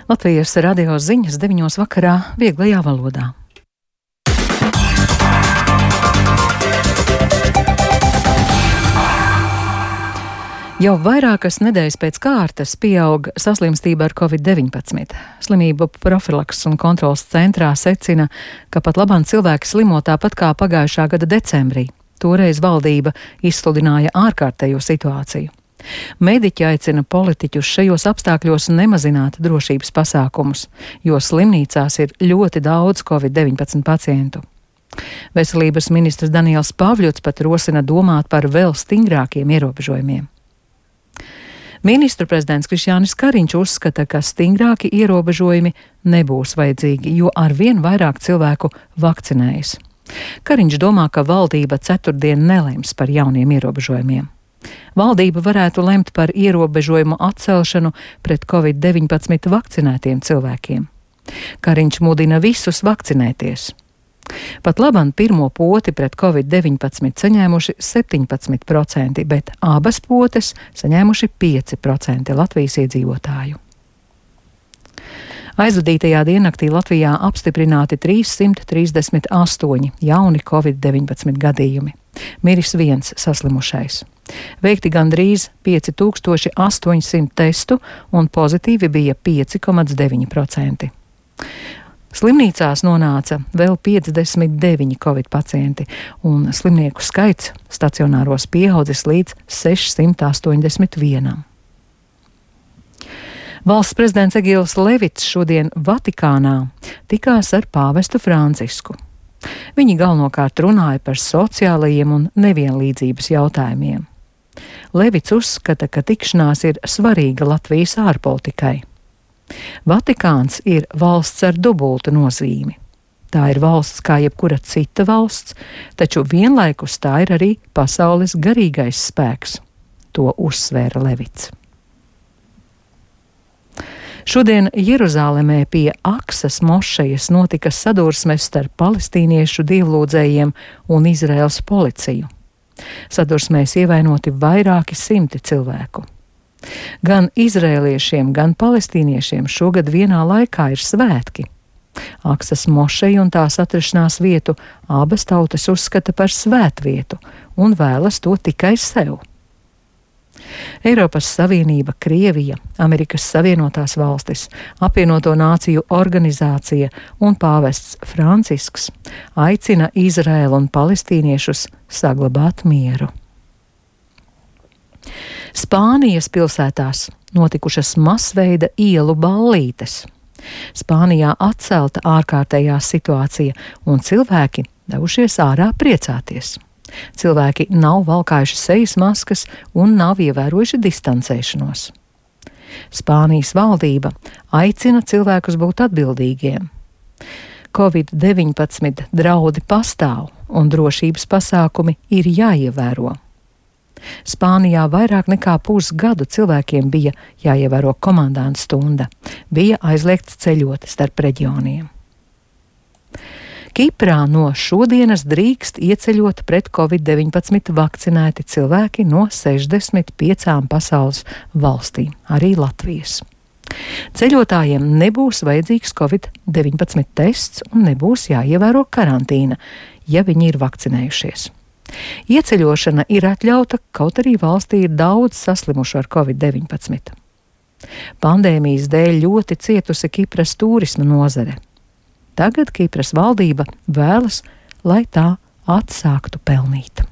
Latvijas radio ziņas 9 vakarā vieglajā valodā. Jau vairākas nedēļas pēc kārtas pieaug saslimstība ar Covid-19. Slimību profilakses un kontrolas centrā secina, ka pat labāk cilvēki slimo tāpat kā pagājušā gada decembrī. Toreiz valdība izsludināja ārkārtējo situāciju. Mediķi aicina politiķus šajos apstākļos nemazināt drošības pasākumus, jo slimnīcās ir ļoti daudz Covid-19 pacientu. Veselības ministrs Daniels Pavļots pat rosina domāt par vēl stingrākiem ierobežojumiem. Ministru prezidents Krišjānis Kariņš uzskata, ka stingrāki ierobežojumi nebūs vajadzīgi, jo arvien vairāk cilvēku vakcinējas. Kariņš domā, ka valdība ceturtdien nelems par jauniem ierobežojumiem. Valdība varētu lemt par ierobežojumu atcelšanu pret Covid-19 vakcinētiem cilvēkiem. Kariņš mudina visus vakcinēties. Pat labāk pirmo poti pret Covid-19 saņēmuši 17%, bet abas potes saņēmuši 5% Latvijas iedzīvotāju. Aizvadītajā diennaktī Latvijā apstiprināti 338 jauni Covid-19 gadījumi. Miris viens saslimušais. Veikti gandrīz 5800 testu un pozitīvi bija 5,9%. Slimnīcās nonāca vēl 59 Covid pacienti, un slimnieku skaits stacionāros pieaudzis līdz 681. Valsts prezidents Egils Levits šodien Vatikānā tikās ar pāvestu Francisku. Viņi galvenokārt runāja par sociālajiem un nevienlīdzības jautājumiem. Levits uzskata, ka tikšanās ir svarīga Latvijas ārpolitikai. Vatikāns ir valsts ar dubultu nozīmi. Tā ir valsts kā jebkura cita valsts, taču vienlaikus tā ir arī pasaules garīgais spēks. To uzsvēra Levits. Šodien Jeruzālemē pie Aksas mošejas notika sadursmes starp palestīniešu dievlūdzējiem un Izraēlas policiju. Sadursmēs ievainoti vairāki simti cilvēku. Gan izrēliešiem, gan palestīniešiem šogad vienā laikā ir svētki. Aksas mošeja un tās atrašanās vietu abas tautas uzskata par svētvietu un vēlas to tikai sev. Eiropas Savienība, Krievija, Amerikas Savienotās valstis, Apvienoto Nāciju organizācija un pāvests Francisks aicina Izraēlu un palestīniešus saglabāt mieru. Spānijas pilsētās notikušas masveida ielu ballītes. Spānijā atcelta ārkārtējā situācija un cilvēki devušies ārā priecāties. Cilvēki nav valkājuši sejas maskas un nav ievērojuši distancēšanos. Spānijas valdība aicina cilvēkus būt atbildīgiem. Covid-19 draudi pastāv un drošības pasākumi ir jāievēro. Spānijā vairāk nekā pusgadu cilvēkiem bija jāievēro komandanta stunda, bija aizliegts ceļot starp reģioniem. Kiprā no šodienas drīkst ieceļot pret Covid-19 vakcinēti cilvēki no 65 pasaules valstīm, arī Latvijas. Ceļotājiem nebūs vajadzīgs Covid-19 tests un nebūs jāievēro karantīna, ja viņi ir vakcinējušies. Ieceļošana ir atļauta, kaut arī valstī ir daudz saslimušu ar Covid-19. Pandēmijas dēļ ļoti cietusi Kipras turisma nozare. Tagad Kipras valdība vēlas, lai tā atsāktu pelnīt.